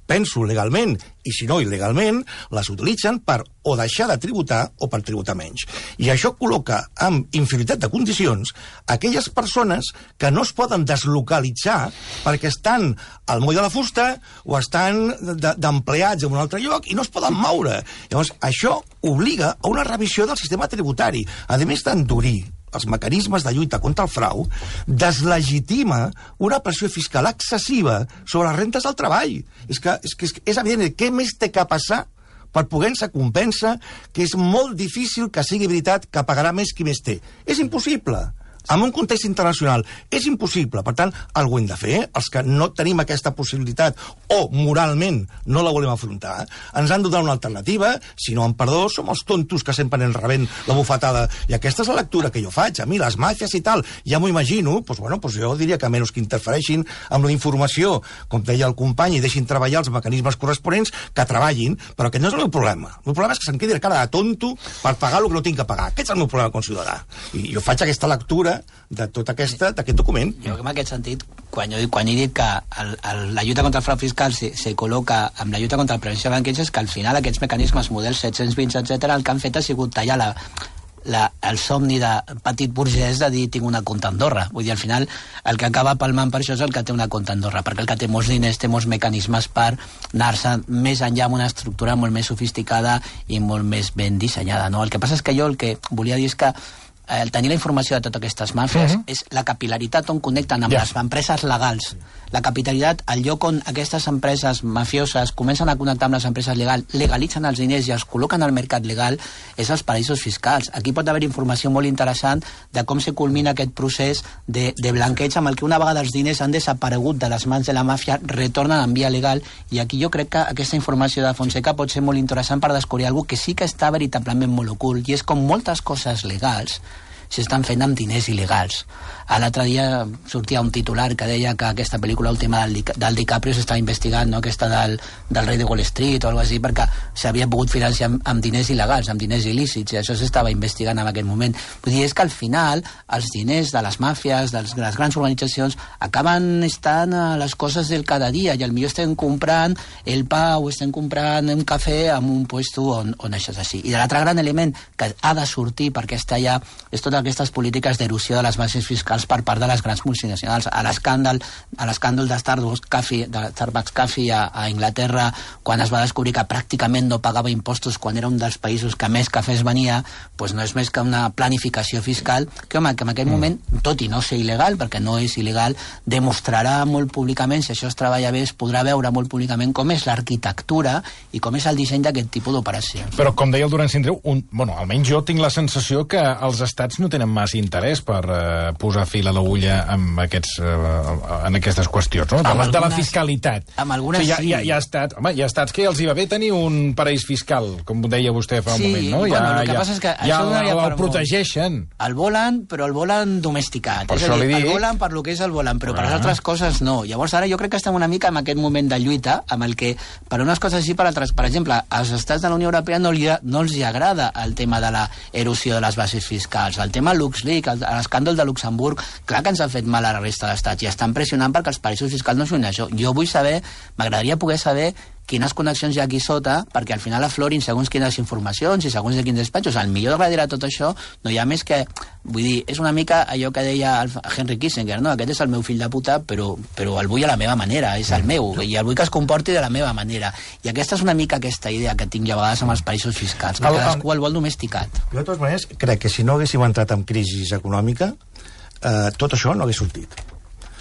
penso legalment, i si no il·legalment, les utilitzen per o deixar de tributar o per tributar menys. I això col·loca amb inferioritat de condicions aquelles persones que no es poden deslocalitzar perquè estan al moll de la fusta o estan d'empleats en un altre lloc i no es poden moure. Llavors, això obliga a una revisió del sistema tributari. A més d'endurir els mecanismes de lluita contra el frau, deslegitima una pressió fiscal excessiva sobre les rentes del treball. És que és, que és evident, què més té que passar per poder-se compensar que és molt difícil que sigui veritat que pagarà més qui més té. És impossible. En un context internacional és impossible. Per tant, alguna hem de fer. Els que no tenim aquesta possibilitat o moralment no la volem afrontar, ens han de donar una alternativa. Si no, en perdó, som els tontos que sempre anem rebent la bufetada. I aquesta és la lectura que jo faig. A mi, les màfies i tal, ja m'ho imagino, doncs, bueno, doncs jo diria que menys que interfereixin amb la informació, com deia el company, i deixin treballar els mecanismes corresponents, que treballin, però aquest no és el meu problema. El meu problema és que se'm quedi la cara de tonto per pagar el que no tinc que pagar. Aquest és el meu problema com a ciutadà. I jo faig aquesta lectura de tot aquesta, d'aquest document. Jo en aquest sentit, quan, jo, quan he dit que el, el, la lluita contra el frau fiscal se, se col·loca amb la lluita contra la prevenció de blanqueig, és que al final aquests mecanismes, models set-cents vint, etcètera, el que han fet ha sigut tallar la, la, el somni de petit burgès de dir tinc una compta a Andorra. Vull dir, al final el que acaba palmant per això és el que té una compta a Andorra, perquè el que té molts diners té molts mecanismes per anar-se més enllà amb una estructura molt més sofisticada i molt més ben dissenyada. No? El que passa és que jo el que volia dir és que el tenir la informació de totes aquestes màfies uh -huh. és la capil·laritat on connecten amb yeah. les empreses legals. La capitalitat, el lloc on aquestes empreses mafioses comencen a connectar amb les empreses legals, legalitzen els diners i els col·loquen al mercat legal, és els paraïsos fiscals. Aquí pot haver informació molt interessant de com se culmina aquest procés de, de blanqueig amb el que una vegada els diners han desaparegut de les mans de la màfia, retornen en via legal, i aquí jo crec que aquesta informació de Fonseca pot ser molt interessant per descobrir alguna que sí que està veritablement molt ocult, i és com moltes coses legals s'estan fent amb diners il·legals. L'altre dia sortia un titular que deia que aquesta pel·lícula última del, del DiCaprio s'estava investigant, no? Aquesta del, del rei de Wall Street o alguna cosa així, perquè s'havia pogut financiar amb, amb diners il·legals, amb diners il·lícits, i això s'estava investigant en aquest moment. Vull dir, és que al final els diners de les màfies, de les, de les grans organitzacions, acaben estant a les coses del cada dia, i potser estem comprant el pa o estem comprant un cafè en un puesto on, on això és així. I l'altre gran element que ha de sortir perquè està allà és totes aquestes polítiques d'erosió de les bases fiscals per part de les grans multinacionals. A l'escàndol a l'escàndol de Starbucks Coffee, de Starbucks Coffee a, a Anglaterra, quan es va descobrir que pràcticament no pagava impostos quan era un dels països que més cafès venia, doncs no és més que una planificació fiscal que, home, que en aquell moment, tot i no ser il·legal, perquè no és il·legal, demostrarà molt públicament, si això es treballa bé, es podrà veure molt públicament com és l'arquitectura i com és el disseny d'aquest tipus d'operacions. Però, com deia el Duran Sindreu, un, bueno, almenys jo tinc la sensació que els estats no tenen massa interès per eh, posar fil a l'agulla amb aquests, eh, en aquestes qüestions, no? De, Amb la, de la algunes- fiscalitat. amb algunes o sigui, hi, ha, sí. hi, ha, hi, ha estats, home, hi ha estats que els hi va bé tenir un paraís fiscal, com deia vostè fa un Sí, moment, no? bueno, ja, el que ja, passa és que ja això el, donaria el, per el protegeixen. El volen, però el volen domesticat. Per és a això dir, li dic. el volen per lo que és el volen, però per Ah. les altres coses no. Llavors ara jo crec que estem una mica en aquest moment de lluita, amb el que per unes coses sí, per altres. Per exemple, als estats de la Unió Europea no, li, no els hi agrada el tema de la erosió de les bases fiscals. El tema LuxLeaks, el- l'escàndol de Luxemburg, clar que ens ha fet mal a la resta d'estats i estan pressionant perquè els paraïsos fiscals no són això. Jo vull saber, m'agradaria poder saber quines connexions hi ha aquí sota, perquè al final aflorin segons quines informacions i segons de quins despatxos. El millor darrere de tot això no hi ha més que... Vull dir, és una mica allò que deia el Henry Kissinger, no? Aquest és el meu fill de puta, però, però el vull a la meva manera, és el meu, i el vull que es comporti de la meva manera. I aquesta és una mica aquesta idea que tinc jo a vegades amb els països fiscals, que El- cadascú el vol domesticat. Jo, de totes maneres, crec que si no haguéssim entrat en crisi econòmica, eh, tot això no hagués sortit.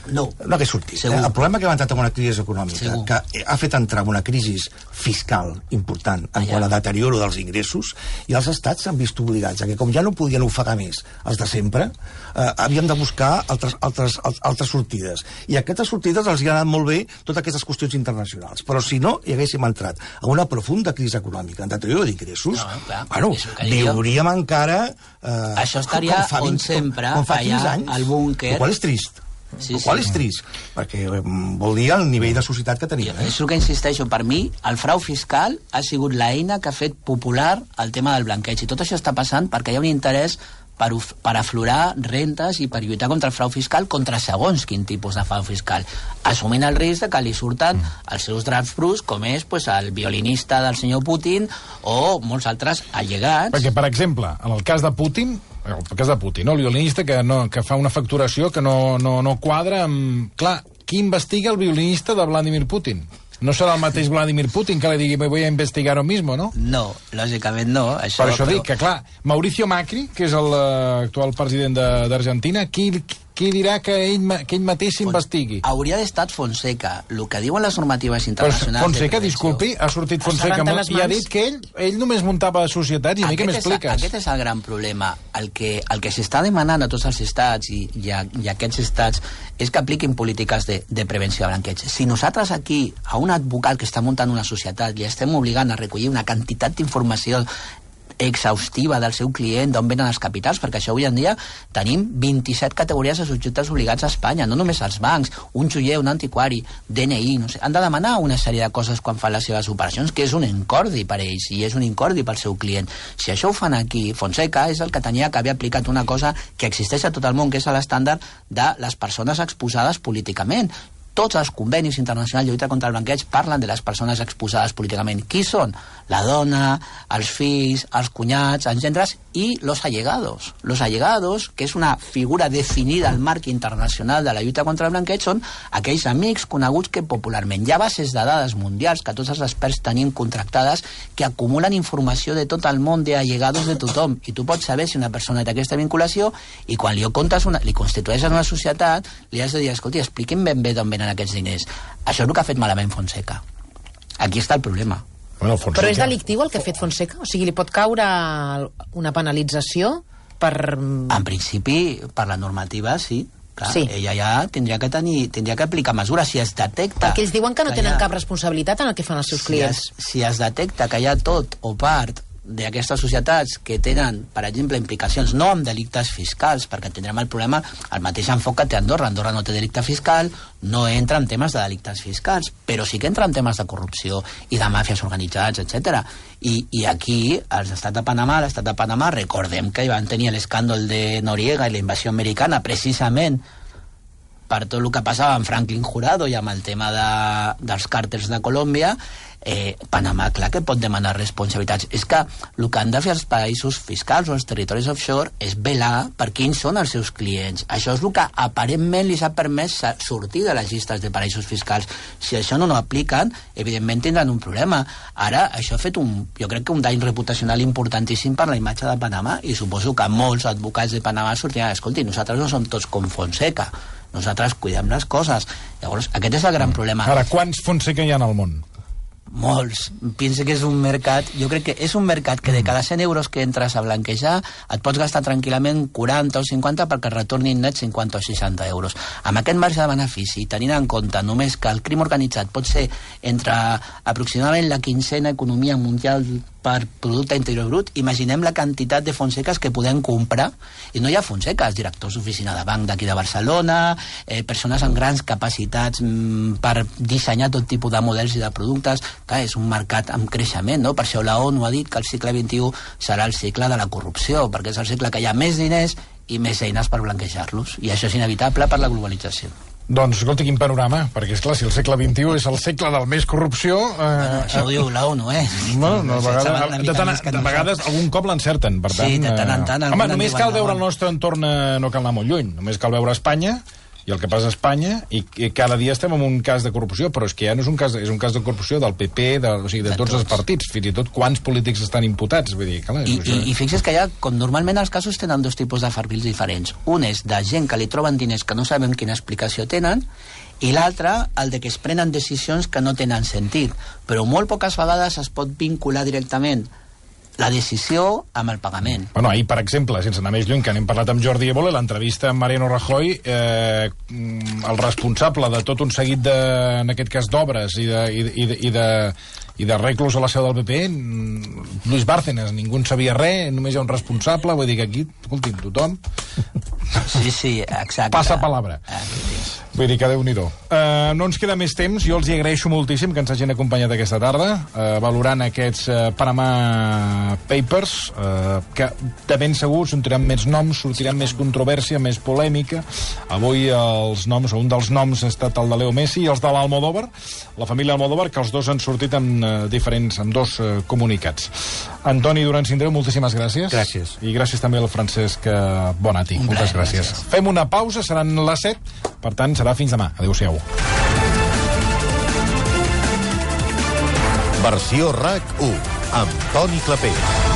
No. No hagués sortit. Eh? Segur. El problema que hem entrat en una crisi econòmica, Segur. que ha fet entrar en una crisi fiscal important en Allà. quant a deterioro dels ingressos, i els estats s'han vist obligats a que, com ja no podien ofegar més els de sempre, eh, havien de buscar altres, altres, al- altres sortides. I a aquestes sortides els hi ha anat molt bé totes aquestes qüestions internacionals. Però si no hi haguéssim entrat en una profunda crisi econòmica, en deterioro d'ingressos, No, clar, bueno, és el que dic jo. viuríem encara... Eh, Això estaria com fa on vint, sempre, com, com fa allà, quinze anys, al búnquer. el qual és trist. Sí, el qual sí. és trist, perquè mm, vol dir el nivell de societat que tenim. Eh? És el que insisteixo, per mi el frau fiscal ha sigut l'eina que ha fet popular el tema del blanqueig, i tot això està passant perquè hi ha un interès per, uf- per aflorar rentes i per lluitar contra el frau fiscal, contra segons quin tipus de frau fiscal, assumint el risc de que li surten els seus draps bruts, com és pues, el violinista del senyor Putin o molts altres allegats. Perquè, per exemple, en el cas de Putin, en el cas de Putin, no? El violinista que, no, que fa una facturació que no, no, no quadra amb... Clar, qui investiga el violinista de Vladimir Putin? No serà el mateix Vladimir Putin que li digui me voy a investigar ahora mismo, no? No, lògicament no. Això, Per això però- dic que, clar, Mauricio Macri, que és l'actual president de- d'Argentina, qui, qui dirà que ell, ma- que ell mateix s'investigui? Hauria d'estar Fonseca. El que diuen les normatives Però internacionals... de Fonseca, prevenció- disculpi, ha sortit Fonseca rentat les i ha mans. dit que ell, ell només muntava societats, i a mi què Aquest és- m'expliques? Aquest és el gran problema. El que, el que s'està demanant a tots els estats i, i, a, i a aquests estats és que apliquin polítiques de, de prevenció de blanqueig. Si nosaltres aquí, a un advocat que està muntant una societat, li estem obligant a recollir una quantitat d'informació exhaustiva del seu client, d'on venen els capitals, perquè això avui en dia tenim vint-i-set categories de subjectes obligats a Espanya, no només els bancs, un joier, un antiquari, D N I, no sé, han de demanar una sèrie de coses quan fan les seves operacions, que és un incordi per ells, i és un incordi pel seu client. Si això ho fan aquí, Fonseca és el que tenia que haver aplicat una cosa que existeix a tot el món, que és l'estàndard de les persones exposades políticament. Tots els convenis internacionals de lluita contra el blanqueig parlen de les persones exposades políticament. Qui són? La dona, els fills, els cunyats, els gendres i los allegados. Los allegados, que és una figura definida al marc internacional de la lluita contra el blanqueig, són aquells amics coneguts que popularment hi ha bases de dades mundials que tots els experts tenim contractades que acumulen informació de tot el món d'allegados de tothom, i tu pots saber si una persona té aquesta vinculació, i quan li comptes una, li constitueixes una societat, li has de dir, escolti, expliqui'm ben bé d'on venen aquests diners. Això és el que ha fet malament Fonseca. Aquí està el problema. Bueno, Fonseca... Però és delictiu el que ha fet Fonseca? O sigui, li pot caure una penalització per... En principi, per la normativa, sí. Clar, Sí. ella ja tindria que tenir, tindria que aplicar mesures si es detecta... Perquè ells diuen que no hi tenen ha- cap responsabilitat en el que fan els seus si clients. es, si es detecta que hi ha tot o part d'aquestes societats que tenen, per exemple, implicacions no amb delictes fiscals, perquè tindrem el problema, el mateix enfoc que té Andorra. Andorra no té delicte fiscal, no entra en temes de delictes fiscals, però sí que entra en temes de corrupció i de màfies organitzats, etcètera. I, I aquí, als estats de Panamà, l'estat de Panamà, recordem que hi van tenir l'escàndol de Noriega i la invasió americana, precisament per tot el que passava amb Franklin Jurado i amb el tema de, dels càrtels de Colòmbia. eh, Panamà, clar que pot demanar responsabilitats. És que el que han de fer els països fiscals o els territoris offshore és velar per quins són els seus clients. Això és el que aparentment li s'ha permès sortir de les llistes de paraïsos fiscals. Si això no ho apliquen, evidentment tindran un problema. Ara, això ha fet un, jo crec que un dany reputacional importantíssim per la imatge de Panamà, i suposo que molts advocats de Panamà sortiran, escolti, nosaltres no som tots com Fonseca, nosaltres cuidem les coses. Llavors, aquest és el gran problema. Ara, quants Fonseca hi ha al món? Molts. Pensa que és un mercat, jo crec que és un mercat que de cada cent euros que entres a blanquejar et pots gastar tranquil·lament quaranta o cinquanta perquè et retornin net cinquanta o seixanta euros. Amb aquest marge de benefici, tenint en compte només que el crim organitzat pot ser entre aproximadament la quinzena economia mundial per producte interior brut, imaginem la quantitat de Fonseques que podem comprar, i no hi ha Fonseques, directors d'oficina de banc d'aquí de Barcelona, eh, persones amb grans capacitats mm, per dissenyar tot tipus de models i de productes. Clar, és un mercat amb creixement, no? Per això la ONU ha dit que el segle vint-i-u serà el segle de la corrupció, perquè és el segle que hi ha més diners i més eines per blanquejar-los, i això és inevitable per la globalització. Doncs, escolta, quin panorama, perquè, esclar, si el segle vint-i-u és el segle del més corrupció... Eh, bueno, això ho diu la ONU, eh? Bueno, no, de, vegades, de, tant, de vegades algun cop l'encerten, per tant... Sí, de tant en tant... Eh, home, només cal veure el nostre entorn, no cal anar molt lluny, només cal veure Espanya, i el que passa a Espanya, i, i cada dia estem en un cas de corrupció, però és que ja no és un cas, és un cas de corrupció del P P, de, o sigui, de, de tots, tots els partits, fins i tot quants polítics estan imputats, vull dir, clar... I, i, i fixa't que ja, com normalment els casos tenen dos tipus de perfils diferents. Un és de gent que li troben diners que no sabem quina explicació tenen, i l'altre, el de que es prenen decisions que no tenen sentit, però molt poques vegades es pot vincular directament la decisió amb el pagament. Bueno, ahir, per exemple, sense anar més lluny, que n'hem parlat amb Jordi Évole, l'entrevista amb Mariano Rajoy, eh, el responsable de tot un seguit de, en aquest cas, d'obres i de, i, i, i de i d'arreglos a la seu del P P, Luis Bárcenas, ningú en sabia res, només hi ha un responsable, vull dir que aquí, escolti, tothom... Sí, sí, exacte. Passa palabra. Vull dir que Déu-n'hi-do. Uh, no ens queda més temps, jo els hi agraeixo moltíssim que ens hagin acompanyat aquesta tarda, uh, valorant aquests uh, Panama Papers, uh, que de ben segur sortiran més noms, sortiran més controvèrsia, més polèmica. Avui els noms, o un dels noms ha estat el de Leo Messi i els de l'Almodóvar, la família Almodóvar, que els dos han sortit en uh, diferents, amb dos uh, comunicats. Antoni Duran Sindreu, moltíssimes gràcies. Gràcies. I gràcies també al Francesc Bonati. Moltes gràcies. gràcies. Fem una pausa, seran les set, per tant serà fins demà. Adéu-siau. Versió RAC u, amb Toni Clapés.